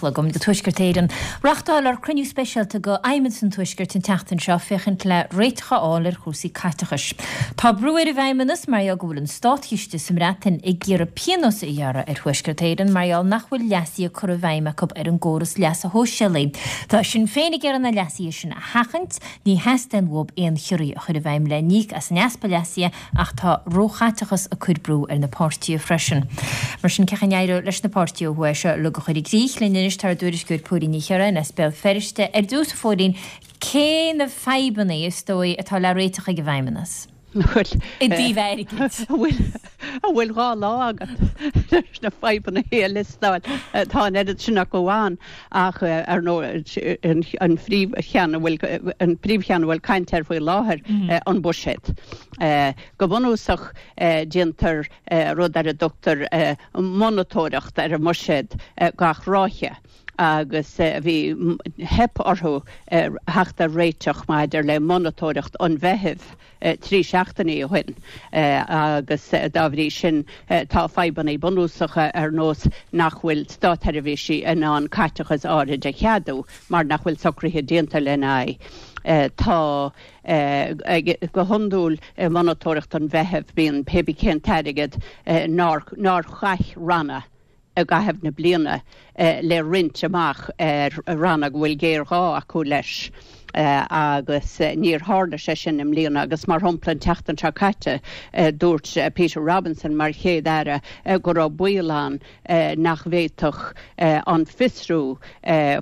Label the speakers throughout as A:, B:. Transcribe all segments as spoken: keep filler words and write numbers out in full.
A: Agam do Tuaisceart Éireann. Reáchtáladh cruinniú speisialta de Fheidhmeannas an Tuaiscirt an tseachtain seo féachaint le réiteach a fháil ar chúrsaí caiteachais. Tá brú ar an bhFeidhmeannas mar go bhfuil an státchiste sa mBreatain ag iarraidh pionós a ghearradh ar Thuaisceart Éireann mar gheall nach bhfuil leasuithe curtha i bhfeidhm acu ar an gcóras leasa shóisialaigh. Tá Sinn Féin ag iarraidh na leasuithe sin a sheachaint, ní theastaíonn uathu aon chiorruithe a chur i bhfeidhm le n-íoc as an easpa leasuithe ach tá róchaiteachas ag cur brú ar na páirtithe freisin. Mar sin cén chaoi a n-éireoidh leis na páirtithe ó thuaidh seo le go chur i gcrích linn anois tá ár dtuairisceoir Póilín Ní Chiaráin as Béal Feirste ar dtús a Phóilín cé na fadhbanna is dóigh atá le réiteach ag an bhFeidhmeannas. I dtaobh airgid.
B: bhfuil bhfuil dhá lá agat leis na fadhbanna a liostáil tá an oiread sin acu ann ach ar ndóigh an phríomhcheann a bhfuil an príomhcheann a bhfuil caint air faoi láthair an buiséad. Go bunúsach déantar rud ar a dtugtar monatóireacht ar an mbuiséad gach ráithe. agus bhí theip orthu theacht ar réiteach maidir le monatóireacht an Mheithimh trí seachtainí ó shin agus dá bhrí sin tá fadhbanna bunúsacha ar nós nach bhfuil státseirbhísigh in ann caiteachas áirid a cheadú mar nach bhfuil socruithe déanta lena aghaidh. Tá go hiondúil monatóireacht an Mheithimh bíonn pébí cén t-airgead nár nár chaith ranna i gcaitheamh na bliana le roinnt amach ar ranna go bhfuil géarghá acu leis. agus níor tharla sé sin i mbliana agus mar shampla an tseachtain seo caite dúirt Peter Robinson mar chéad aire go raibh baol ann nach bhféadfadh an fiosrú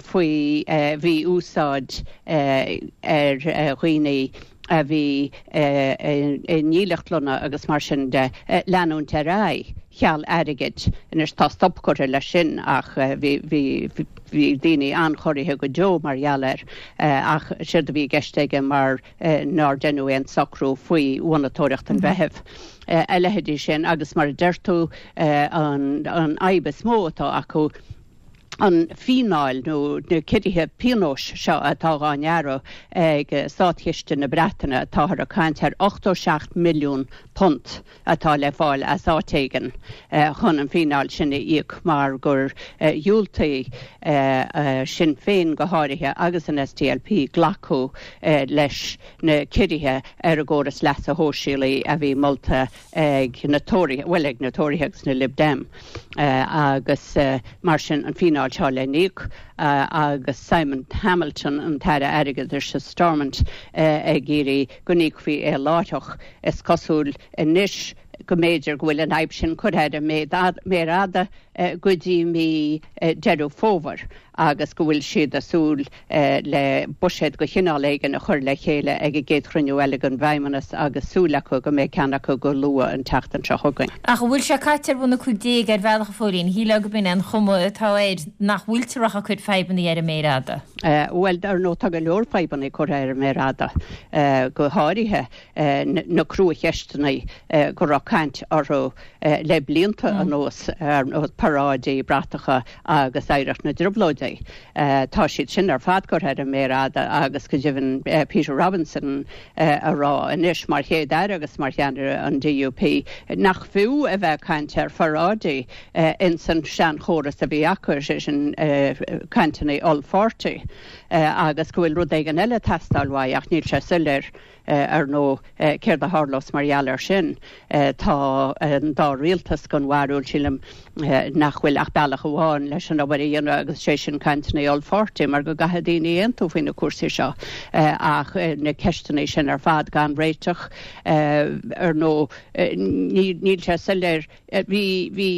B: faoi mhí-úsáid ar dhaoine a bhí i ndílleachtlanna agus mar sin de leanúint ar aghaidh cheal airgid anois tá stop curtha leis sin ach bhí bhí daoine an-chorraithe go deo mar gheall air ach séard a bhí i gceist aige mar nár deineadh aon socrú faoi mhonatóireacht an Mheithimh. A leithéidí sin agus mar a deir tú an fhadhb is mó atá acu an fíneáil nó na ciorruithe pionóis seo atá á ngearradh ag Státchiste na Breataine táthar ag caint ar ochtó seacht milliún punt atá le fáil as áit éigin chun an fíneáil sin a íoc mar gur dhiúltaigh Sinn Féin go háirithe agus an SDLP glacadh leis na ciorruithe ar an gcóras leasa shóisialaigh a bhí molta ag na Tóraithe, bhuel ag na Tóraithe agus na Lib Dem agus mar sin an fíneáil seo le n-íoc agus Simon Hamilton an tAire Airgeadais sa Stormont ag iarraidh go n-íocfaí é láithreach is cosúil anois go mb'fhéidir go bhfuil an fhadhb sin curtha ar an méar fhada go dtí mí Deireadh Fómhair agus go bhfuil siad ag súil le buiséad de chineál éigin a chur le chéile ag an gcéad chruinniú eile den bhFeidhmeannas agus súil acu go mbeidh ceann acu go luath an tseachtain seo chugainn.
A: Ach an bhfuil sé caite ar bhun a cúig déag ar bhealach a Phóilín, shílfeá gurb in é an chuma atá air nach bhfuiltear ach ag cur fadhbanna ar an méar fhada?
B: Bhuel, ar ndóigh tá go leor fadhbanna curtha ar an méar fhada, go háirithe na cruacheisteanna go raibh caint orthu le blianta anuas ar nós paráidí bratacha agus oidhreacht na dTrioblóidí. Tá siad sin ar fad curtha ar an méar fhada agus go deimhin Peter Robinson a rá anois mar chéad aire agus mar cheannaire an DUP nach fiú a bheith caint ar pharáidí ins an seanchóras a bhí acu sé sin cainteanna ollpháirtí agus go bhfuil rud éigin eile ag teastáil uaidh ach níl sé soiléir ar ndóigh céard a tharlós mar gheall air sin. Tá an dá rialtas den bharúil sílim nach bhfuil ach bealach amháin leis an obair a dhéanamh agus sé sin cainteanna ollpháirtí mar go gcaithfidh daoine aontú faoi na cúrsaí seo ach na ceisteanna sin ar fad gan réiteach ar ndóigh níl sé soiléir bhí bhí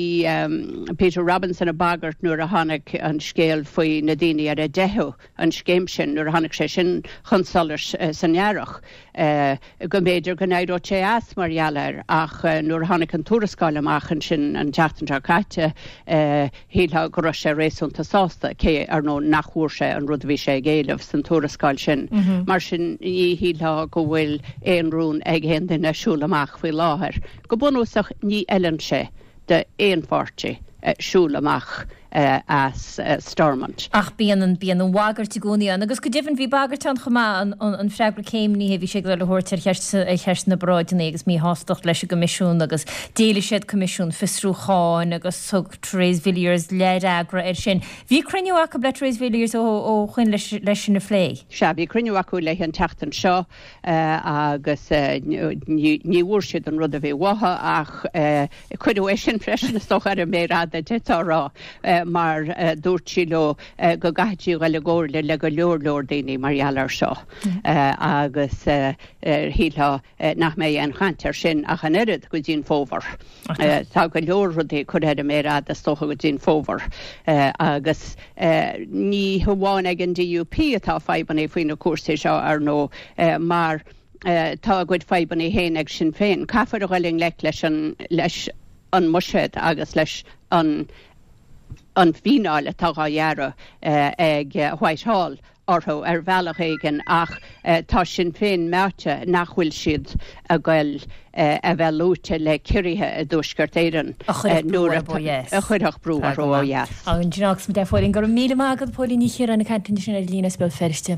B: Peter Robinson ag bagairt nuair a tháinig an scéal faoi na daoine ar a dteitheadh an scéim sin nuair a tháinig sé sin chun solais san earrach go mb'fhéidir go n-éireodh sé as mar gheall air ach nuair a tháinig an tuarascáil amach ansin an tseachtain seo caite shílfeá go raibh sé réasúnta sásta cé ar ndóigh nach bhfuair sé an rud a bhí sé ag éileamh san tuarascáil sin. Mar sin ní shílfeá go bhfuil aon rún ag aon duine siúl amach faoi láthair. Go bunúsach ní fheileann sé d'aon pháirtí siúl amach as Stormont.
A: Ach bíonn an bíonn an bhagairt i gcónaí ann agus go deimhin bhí bagairt ann chomh maith an freagra céimnithe bhí sé ag dul a thabhairt ar cheist ar cheist na bparáideanna agus míshástacht leis an gCoimisiún agus d'éiligh siad Coimisiún Fiosrúcháin agus thug Therese Villiers leathfhreagra air sin. Bhí cruinniú acu le Therese Villiers ó ó shoin leis leis sin a phlé.
B: Sea bhí cruinniú acu léi an tseachtain seo agus ní bhfuair siad an rud a bhí uathu ach cuireadh é sin freisin is dócha ar an méar fhada d'fhéadfá a rá mar dúirt sí leo go gcaithfidh sí dul i gcomhairle le go leor leor daoine mar gheall air seo agus shílfeá nach mbeidh aon chaint air sin ach an oiread go dtí an fómhar. Tá go leor rudaí curtha ar an méar fhada is dócha go dtí an fómhar agus ní hamháin ag an DUP atá fadhbanna faoi na cúrsaí seo ar ndóigh mar tá a gcuid fadhbanna féin ag Sinn Féin. Caithfear a dhul i ngleic leis an leis an mbuiséad agus leis an an fíneáil atá á ghearradh ag Whitehall orthu ar bhealach éigin ach tá Sinn Féin meáite nach bhfuil siad ag goil a bheith luaite le ciorruithe i dTuaisceart Éireann nuair a chuirfeadh brú orthu ó dheas.
A: An-ghnáthach, Póilín, go raibh míle maith agat Póilín Ní Chiaráin ag caint sin ar líne as Béal Feirste.